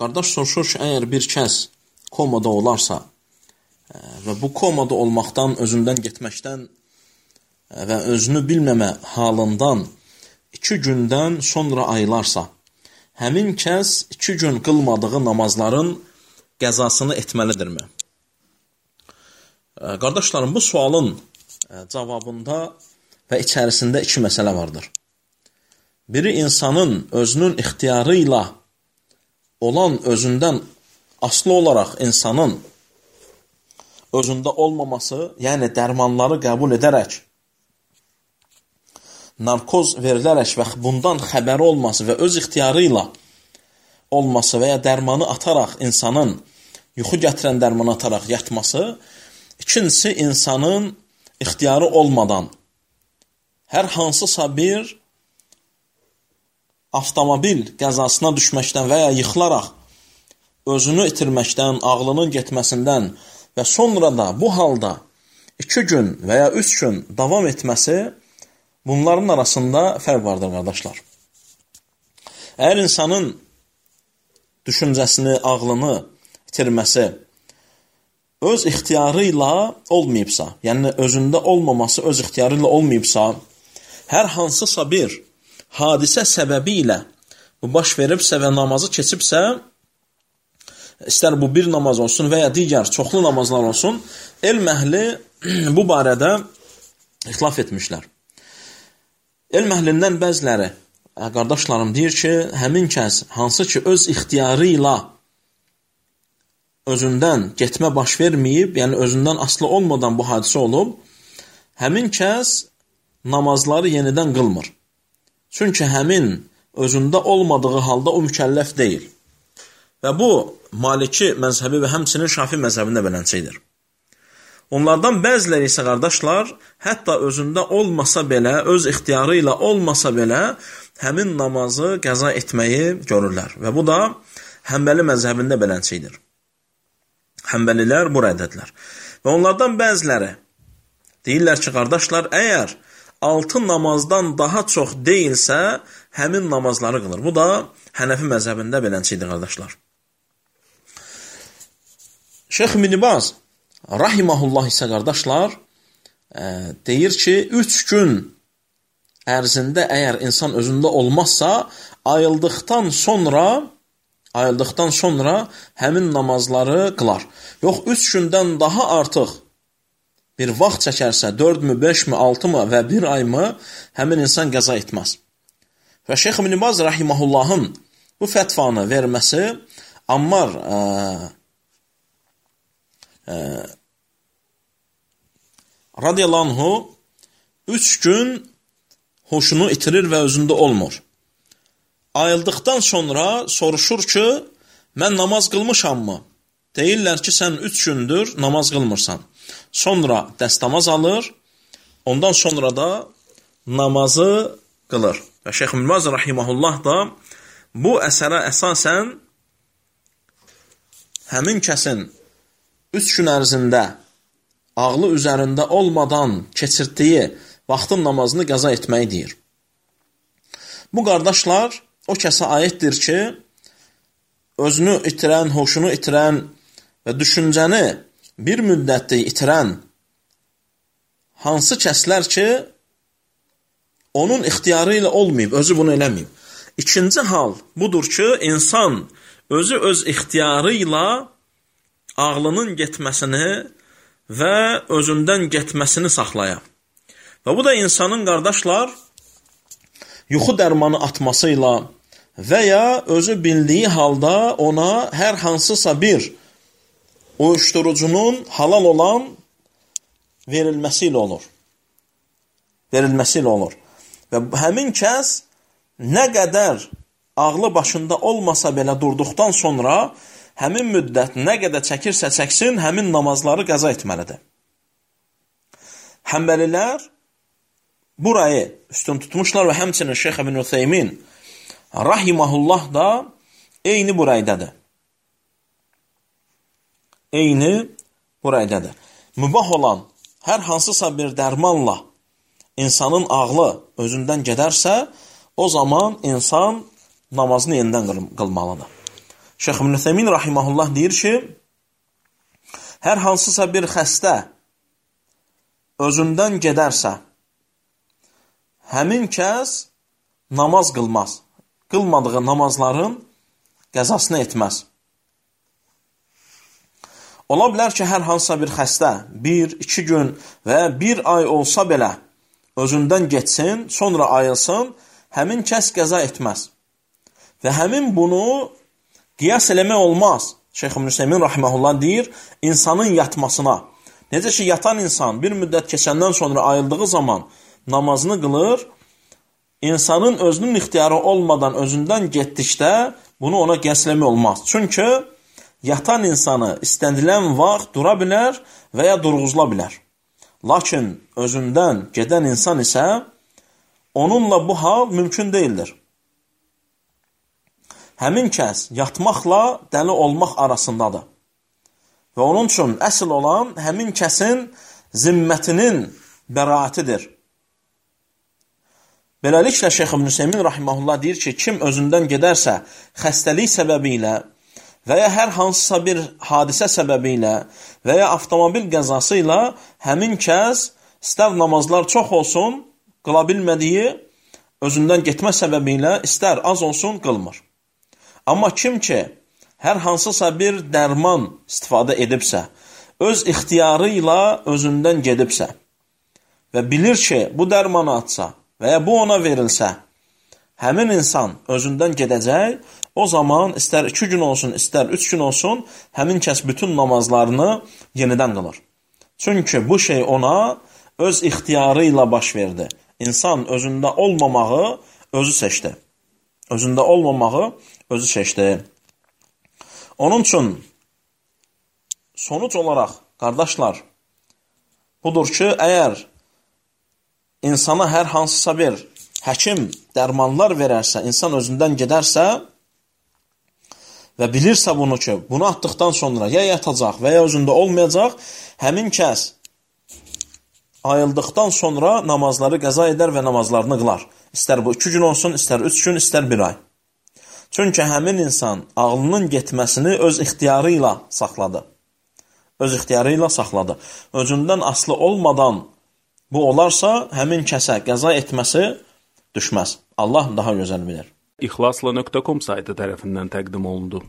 Qardaş soruşur ki, əgər bir kəs komada olarsa və bu komada olmaqdan, özündən getməkdən və özünü bilməmə halından 2 gündən sonra ayılarsa, həmin kəs 2 gün qılmadığı namazların qəzasını etməlidirmi? Qardaşlarım, bu sualın cavabında və içərisində 2 məsələ vardır. Biri insanın özünün ixtiyarı ilə olan özündən aslı olaraq insanın özündə olmaması, yəni dərmanları qəbul edərək, narkoz verilərək və bundan xəbəri olması və öz ixtiyarı ilə olması və ya dərmanı ataraq insanın, yuxu gətirən dərmanı ataraq yatması. İkincisi, insanın ixtiyarı olmadan hər hansısa bir avtomobil qəzasına düşməkdən və ya yıxılaraq özünü itirməkdən, ağlının getməsindən və sonra da bu halda 2 gün və ya 3 gün davam etməsi, bunların arasında fərq vardır, qardaşlar. Əgər insanın düşüncəsini, ağlını itirməsi öz ixtiyarı ilə olmayıbsa, yəni özündə olmaması öz ixtiyarı ilə olmayıbsa, hər hansısa bir hadisə səbəbi ilə bu baş veribsə və namazı keçibsə, istər bu bir namaz olsun və ya digər çoxlu namazlar olsun, elm əhli bu barədə ixtilaf etmişlər. Elm əhlindən bəziləri, qardaşlarım, deyir ki, həmin kəs hansı ki öz ixtiyarı ilə özündən getmə baş verməyib, yəni özündən asılı olmadan bu hadisə olub, həmin kəs namazları yenidən qılmır. Çünki həmin özündə olmadığı halda o mükəlləf deyil. Və bu, Maliki məzhəbi və həmçinin Şafi məzhəbində beləcəkdir. Onlardan bəziləri isə, qardaşlar, hətta özündə olmasa belə, öz ixtiyarı ilə olmasa belə, həmin namazı qəza etməyi görürlər. Və bu da Həmbəli məzhəbində beləcəkdir. Həmbəlilər bu rəddədilər. Və onlardan bəziləri deyirlər ki, qardaşlar, əgər 6 namazdan daha çox deyilsə, həmin namazları qılır. Bu da Hənəfi məzhəbində beləcəkdir, qardaşlar. Şeyx İbn Baz rahimehullah isə, qardaşlar, deyir ki, 3 gün ərzində əgər insan özündə olmazsa, ayıldıqdan sonra həmin namazları qılar. Yox, 3 gündən daha artıq bir vaxt çəkərsə, 4-mü, 5-mi, 6-mı və 1 ay-mı, həmin insan qəza etməz. Və Şeyx İbn Baz rahimehullahın bu fətvanı verməsi Ammar radiyallahu anhu 3 gün hoşunu itirir və özündə olmur. Ayıldıqdan sonra soruşur ki, mən namaz qılmışammı? Deyirlər ki, sən 3 gündür namaz qılmırsan. Sonra dəstəmaz alır, ondan sonra da namazı qılır. Və Şeyx İbn Baz rahimehullah da bu əsərə əsasən həmin kəsin 3 gün ərzində ağlı üzərində olmadan keçirtdiyi vaxtın namazını qəza etməyi deyir. Bu qardaşlar o kəsə aiddir ki, özünü itirən, hoşunu itirən və düşüncəni bir müddətdə itirən hansı kəslər ki, onun ixtiyarı ilə olmayıb, özü bunu eləməyib. İkinci hal budur ki, insan özü öz ixtiyarı ilə ağlının getməsini və özündən getməsini saxlayır. Və bu da insanın, qardaşlar, yuxu dərmanı atmasıyla və ya özü bildiyi halda ona hər hansısa bir uyuşturucunun halal olan verilməsi ilə olur. Və həmin kəs nə qədər ağlı başında olmasa belə durduqdan sonra həmin müddət nə qədər çəkirsə çəksin, həmin namazları qəza etməlidir. Həmbəlilər burayı üstün tutmuşlar və həmçinin Şeyx İbn Ütheymin rahimehullah da eyni buraydadır. Mübah olan hər hansısa bir dərmanla insanın ağlı özündən gedərsə, o zaman insan namazını yenidən qılmalıdır. Şeyx İbn Üseymin rahimehullah deyir ki, hər hansısa bir xəstə özündən gedərsə, həmin kəs namaz qılmaz. Qılmadığı namazların qəzasını etməz. Ola bilər ki, hər hansısa bir xəstə 1-2 gün və 1 ay olsa belə özündən getsin, sonra ayılsın, həmin kəs qəza etməz. Və həmin bunu qiyas eləmək olmaz. Şeyx İbn Üseymin rahimehullah deyir, insanın yatmasına. Necə ki, yatan insan bir müddət keçəndən sonra ayıldığı zaman namazını qılır, insanın özünün ixtiyarı olmadan özündən getdikdə bunu ona qiyas eləmək olmaz. Çünki yatan insanı istənilən vaxt dura bilər və ya durğuzula bilər. Lakin özündən gedən insan isə onunla bu hal mümkün deyildir. Həmin kəs yatmaqla dəli olmaq arasındadır. Və onun üçün əsl olan həmin kəsin zimmətinin bəraətidir. Beləliklə, Şeyx İbn Üseymin rahimehullah deyir ki, kim özündən gedərsə xəstəlik səbəbi ilə və ya hər hansısa bir hadisə səbəbi ilə və ya avtomobil qəzası ilə həmin kəs istər namazlar çox olsun, qıla bilmədiyi özündən getmə səbəbi ilə istər az olsun, qılmır. Amma kim ki, hər hansısa bir dərman istifadə edibsə, öz ixtiyarı ilə özündən gedibsə və bilir ki, bu dərmanı atsa və ya bu ona verilsə, həmin insan özündən gedəcək, o zaman istər 2 gün olsun, istər 3 gün olsun, həmin kəs bütün namazlarını yenidən qılır. Çünki bu şey ona öz ixtiyarı ilə baş verdi. İnsan özündə olmamağı özü seçdi. Özündə olmamağı özü seçdi. Onun üçün sonuç olaraq, qardaşlar, budur ki, əgər insana hər hansısa bir həkim dərmanlar verərsə, insan özündən gedərsə və bilirsə bunu ki, bunu atdıqdan sonra ya yatacaq və ya özündə olmayacaq, həmin kəs ayıldıqdan sonra namazları qəza edər və namazlarını qılar. İstər bu 2 gün olsun, istər 3 gün, istər 1 ay. Çünki həmin insan ağlının getməsini öz ixtiyarı ilə saxladı. Öz ixtiyarı ilə saxladı. Özündən asılı olmadan bu olarsa, həmin kəsə qəza etməsi düşməz. Allah daha gözəl bilir. İxlasla.com saytı tərəfindən təqdim olundu.